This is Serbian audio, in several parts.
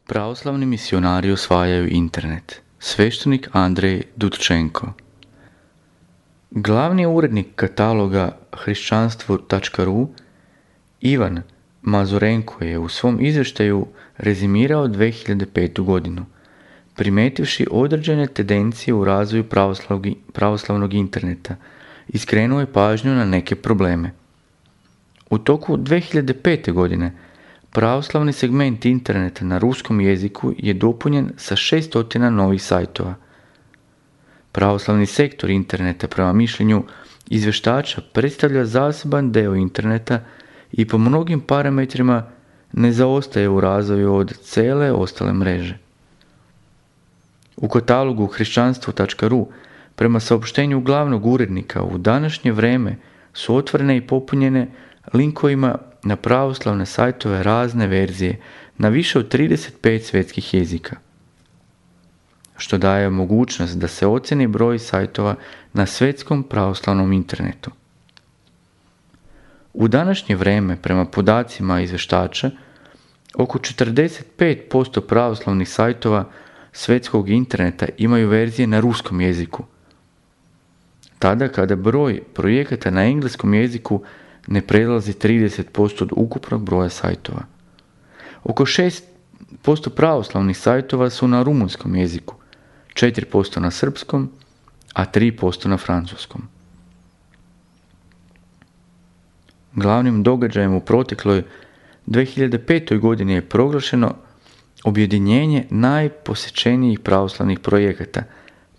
Pravoslavni misionari osvajaju internet. Sveštenik Andrej Dudčenko. Glavni urednik kataloga hrišćanstvo.ru Ivan Mazurenko je u svom izvještaju rezimirao 2005. godinu, primetivši određene tendencije u razvoju pravoslavnog interneta i skrenuo je pažnju na neke probleme. U toku 2005. godine pravoslavni segment interneta na ruskom jeziku je dopunjen sa 600 novih sajtova. Pravoslavni sektor interneta prema mišljenju izvještača predstavlja zaseban deo interneta i po mnogim parametrima ne zaostaje u razvoju od cele ostale mreže. U katalogu hrišćanstvo.ru prema saopštenju glavnog urednika u današnje vrijeme su otvorene i popunjene linkovima na pravoslavne sajtove razne verzije na više od 35 svjetskih jezika, što daje mogućnost da se ocjeni broj sajtova na svjetskom pravoslavnom internetu. U današnje vrijeme, prema podacima izvještača, oko 45% pravoslavnih sajtova svjetskog interneta imaju verzije na ruskom jeziku, tada kada broj projekata na engleskom jeziku ne prelazi 30% od ukupnog broja sajtova. Oko 6% pravoslavnih sajtova su na rumunskom jeziku, 4% na srpskom, a 3% na francuskom. Glavnim događajem u protekloj 2005. godini je proglašeno objedinjenje najposjećenijih pravoslavnih projekata,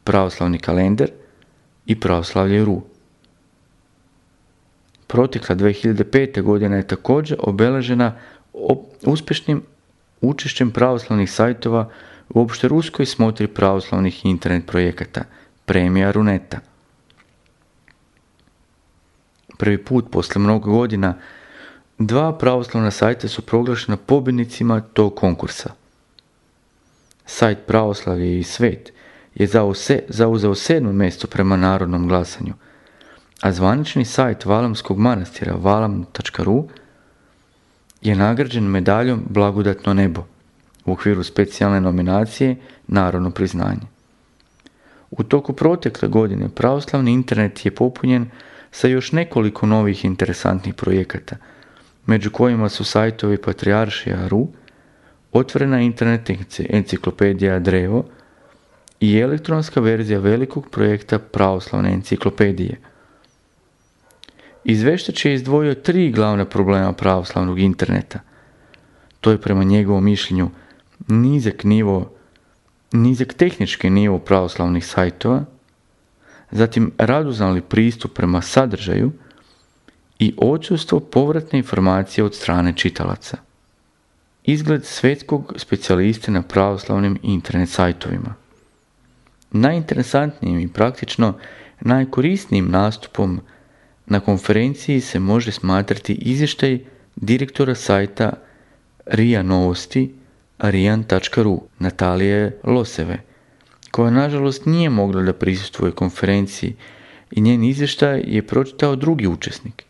Pravoslavni kalendar i Pravoslavlje.ru. Protekla 2005. godina je također obeležena uspješnim učešćem pravoslavnih sajtova u opšteruskoj smotri pravoslavnih internet projekata, Premija Runeta. Prvi put posle mnogo godina 2 pravoslavna sajta su proglašena pobjednicima tog konkursa. Sajt Pravoslavlje i svet je zauzeo 7. mjesto prema narodnom glasanju, a zvanični sajt Valamskog manastira valam.ru je nagrađen medaljom Blagodatno nebo u okviru specijalne nominacije Narodno priznanje. U toku protekle godine pravoslavni internet je popunjen sa još nekoliko novih interesantnih projekata, među kojima su sajtovi Patrijaršija.ru, otvorena internet enciklopedija Drevo i elektronska verzija velikog projekta Pravoslavne enciklopedije. Izvještač je izdvojio 3 glavna problema pravoslavnog interneta. To je prema njegovom mišljenju nizak tehnički nivo pravoslavnih sajtova, zatim radoznali pristup prema sadržaju i odsustvo povratne informacije od strane čitalaca. Izgled svjetskog specijaliste na pravoslavnim internet sajtovima. Najinteresantnijim i praktično najkorisnijim nastupom na konferenciji se može smatrati izvještaj direktora sajta RIA Novosti rian.ru Natalije Loseve, koja nažalost nije mogla da prisustvuje konferenciji i njen izvještaj je pročitao drugi učesnik.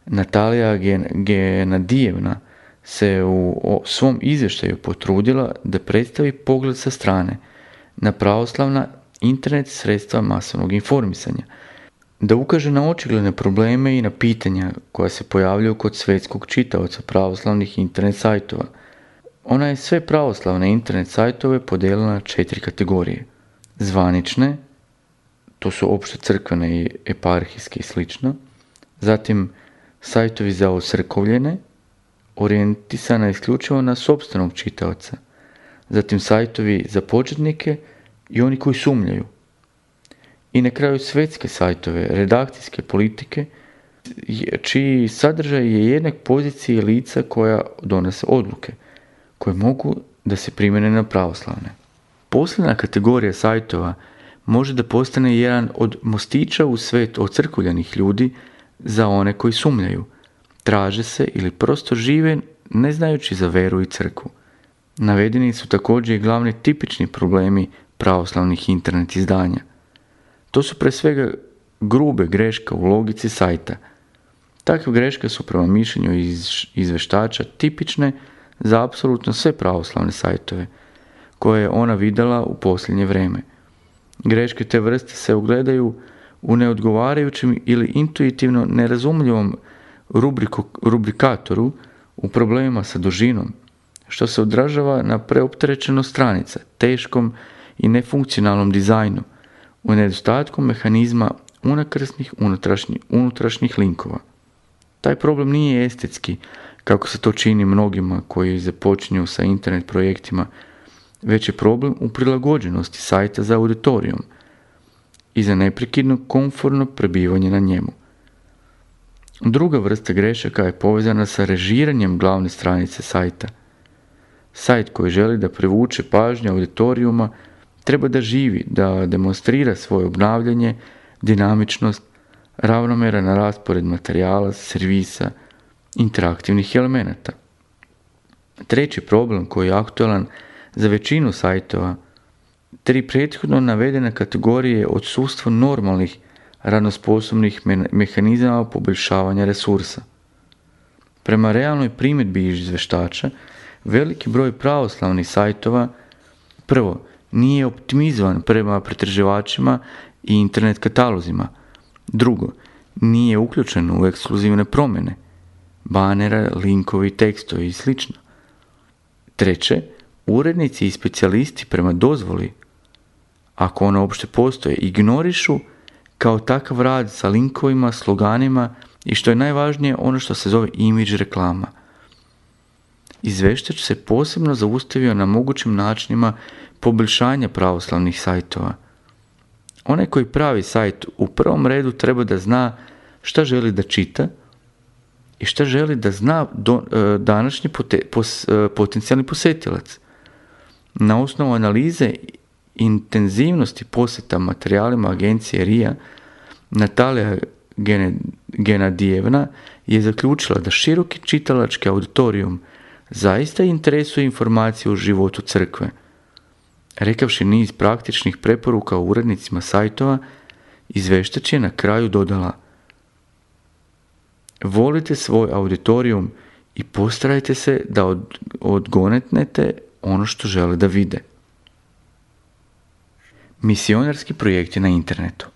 Natalija Genadijevna se u svom izvještaju potrudila da predstavi pogled sa strane na pravoslavna internet sredstva masovnog informisanja, da ukaže na očigledne probleme i na pitanja koja se pojavljaju kod svjetskog čitaoca pravoslavnih internet sajtova. Ona je sve pravoslavne internet sajtove podijelila na 4 kategorije. Zvanične, to su opšte crkvene i eparhijske i slično. Zatim sajtovi za ocrkovljene, orijentisana isključivo na sopstvenog čitaoca. Zatim sajtovi za početnike i oni koji sumnjaju. I na kraju svjetske sajtove, redakcijske politike, čiji sadržaj je jednak poziciji lica koja donose odluke, koje mogu da se primjene na pravoslavne. Posljedna kategorija sajtova može da postane jedan od mostića u svet ocrkovljenih ljudi za one koji sumnjaju, traže se ili prosto žive ne znajući za veru i crkvu. Navedeni su također i glavni tipični problemi pravoslavnih internet izdanja. To su pre svega grube greške u logici sajta. Takve greške su prema mišljenju izvještača tipične za apsolutno sve pravoslavne sajtove koje je ona vidjela u posljednje vrijeme. Greške te vrste se ogledaju u neodgovarajućem ili intuitivno nerazumljivom rubrikatoru, u problemima sa dužinom, što se odražava na preopterećenost stranica, teškom i nefunkcionalnom dizajnu, u nedostatku mehanizma unakrsnih unutrašnjih linkova. Taj problem nije estetski, kako se to čini mnogima koji započinju sa internet projektima, već je problem u prilagođenosti sajta za auditorijum i za neprekidno komfortno prebivanje na njemu. Druga vrsta grešaka je povezana sa režiranjem glavne stranice sajta. Sajt koji želi da privuče pažnju auditorijuma treba da živi, da demonstrira svoje obnavljanje, dinamičnost, ravnomeran raspored materijala, servisa, interaktivnih elemenata. Treći problem koji je aktualan za većinu sajtova, 3 prethodno navedene kategorije odsustvo normalnih radnosposobnih mehanizama poboljšavanja resursa. Prema realnoj primjedbi izvještača, veliki broj pravoslavnih sajtova prvo nije optimizovan prema pretraživačima i internet katalozima. Drugo, nije uključen u ekskluzivne promjene, banera, linkovi, tekstovi i sl. Treće, urednici i specijalisti prema dozvoli, ako ona uopšte postoje, ignorišu kao takav rad sa linkovima, sloganima i što je najvažnije ono što se zove imidž reklama. Izvještač se posebno zaustavio na mogućim načinima poboljšanja pravoslavnih sajtova. Onaj koji pravi sajt u prvom redu treba da zna šta želi da čita i šta želi da zna današnji potencijalni posjetilac. Na osnovu analize intenzivnosti posjeta materijalima agencije RIA, Natalija Genadijevna je zaključila da široki čitalački auditorijum zaista interesuje informacije o životu crkve. Rekavši niz praktičnih preporuka o urednicima sajtova, izvještač je na kraju dodala: volite svoj auditorijum i postarajte se da odgonetnete ono što žele da vide. Misionarski projekti na internetu.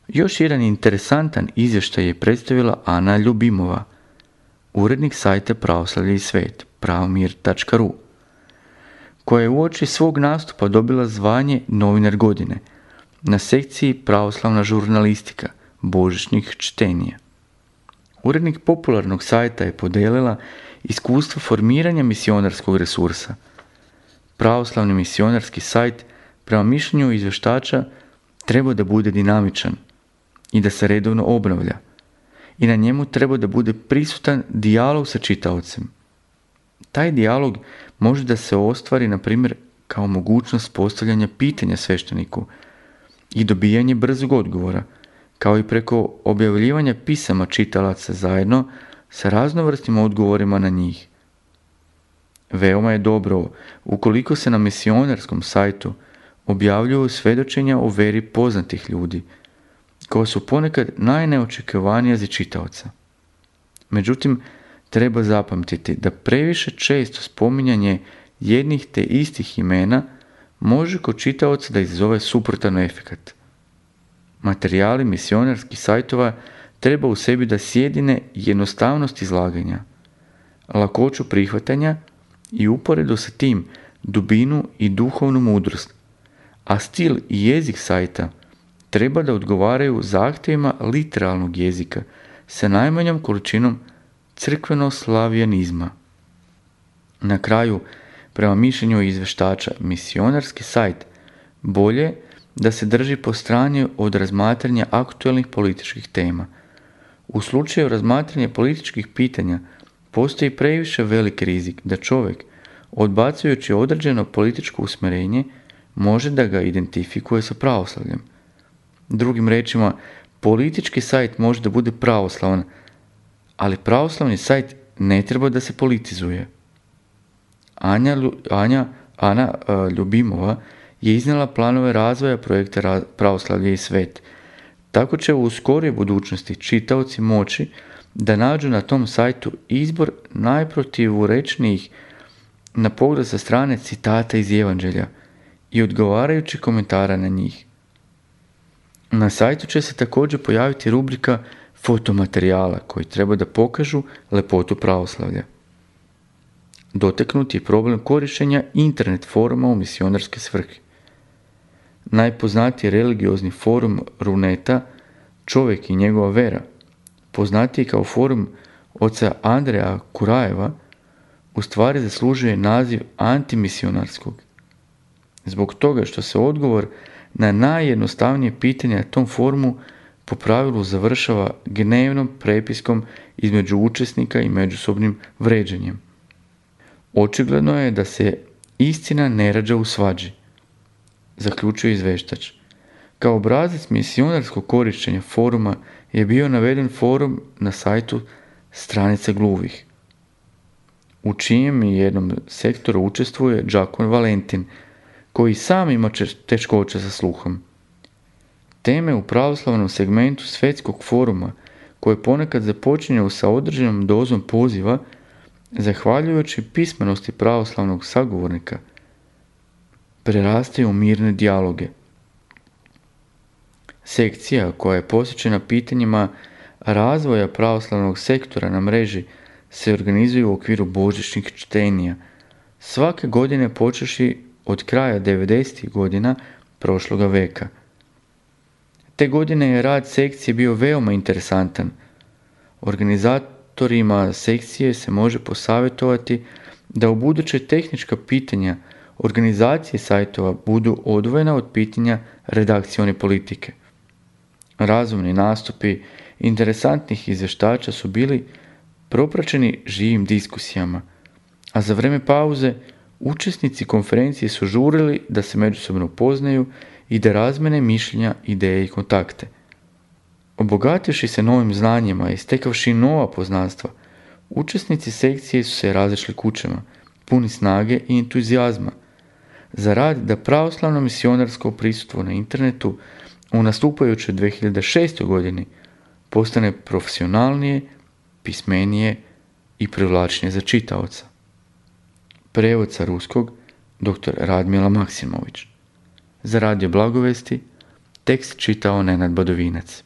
Još jedan interesantan izvještaj je predstavila Ana Ljubimova, urednik sajta Pravoslavlje i svet, pravomir.ru, koja je uoči svog nastupa dobila zvanje novinar godine na sekciji Pravoslavna žurnalistika, božićnih čtenija. Urednik popularnog sajta je podelila iskustvo formiranja misionarskog resursa. Pravoslavni misionarski sajt, prema mišljenju izvještača, treba da bude dinamičan i da se redovno obnavlja. I na njemu treba da bude prisutan dijalog sa čitaocem. Taj dijalog može da se ostvari, na primjer, kao mogućnost postavljanja pitanja svešteniku i dobijanje brzog odgovora, kao i preko objavljivanja pisama čitalaca zajedno sa raznovrsnim odgovorima na njih. Veoma je dobro ukoliko se na misionarskom sajtu objavljuju svjedočenja o veri poznatih ljudi, koja su ponekad najneočekivanija za čitaoca. Međutim, treba zapamtiti da previše često spominjanje jednih te istih imena može kod čitaoca da izazove suprotan efekat. Materijali misionarskih sajtova treba u sebi da sjedine jednostavnost izlaganja, lakoću prihvatanja i uporedo sa tim dubinu i duhovnu mudrost, a stil i jezik sajta treba da odgovaraju zahtjevima literalnog jezika sa najmanjom količinom crkveno-slavijanizma. Na kraju, prema mišljenju izvještača, misionarski sajt bolje da se drži po strani od razmatranja aktualnih političkih tema. U slučaju razmatranja političkih pitanja postoji previše velik rizik da čovjek, odbacujući određeno političko usmjerenje, može da ga identifikuje sa pravoslavljem. Drugim rečima, politički sajt može da bude pravoslavan, ali pravoslavni sajt ne treba da se politizuje. Ana Ljubimova je iznijela planove razvoja projekta Pravoslavlje i svet. Tako će u skorijoj budućnosti čitaoci moći da nađu na tom sajtu izbor najprotivurečnijih na pogled sa strane citata iz Evanđelja i odgovarajući komentara na njih. Na sajtu će se također pojaviti rubrika fotomaterijala koji treba da pokažu lepotu pravoslavlja. Dotaknut je problem korištenja internet foruma u misionarske svrhe. Najpoznatiji religiozni forum Runeta, Čovjek i njegova vera, poznatiji kao forum oca Andreja Kurajeva, u stvari zaslužuje naziv antimisionarskog. Zbog toga što se odgovor na najjednostavnije pitanje na tom forumu po pravilu završava gnevnom prepiskom između učesnika i međusobnim vređanjem. Očigledno je da se istina ne rađa u svađi, zaključuje izveštač. Kao obrazac misionarskog korištenja foruma je bio naveden forum na sajtu Stranice gluvih, u čijem jednom sektoru učestvuje đakon Valentin, koji sam ima teškoća sa sluhom. Teme u pravoslavnom segmentu svetskog foruma, koje ponekad započinju sa određenom dozom poziva, zahvaljujući pismenosti pravoslavnog sagovornika, prerastaju u mirne dijaloge. Sekcija koja je posvećena pitanjima razvoja pravoslavnog sektora na mreži se organizuje u okviru božićnih čtenja, svake godine počevši od kraja 90. godina prošloga veka. Te godine je rad sekcije bio veoma interesantan. Organizatorima sekcije se može posavjetovati da u buduće tehnička pitanja organizacije sajtova budu odvojena od pitanja redakcione politike. Razumni nastupi interesantnih izvještača su bili propraćeni živim diskusijama, a za vrijeme pauze učesnici konferencije su žurili da se međusobno upoznaju i da razmene mišljenja, ideje i kontakte. Obogativši se novim znanjima i stekavši nova poznanstva, učesnici sekcije su se razišli kućama, puni snage i entuzijazma, za rad da pravoslavno misionarsko prisustvo na internetu u nastupajućoj 2006. godini postane profesionalnije, pismenije i privlačnije za čitaoca. Prevod sa ruskog dr. Radmila Maksimović. Za Radio Blagovesti tekst čitao Nenad Badovinac.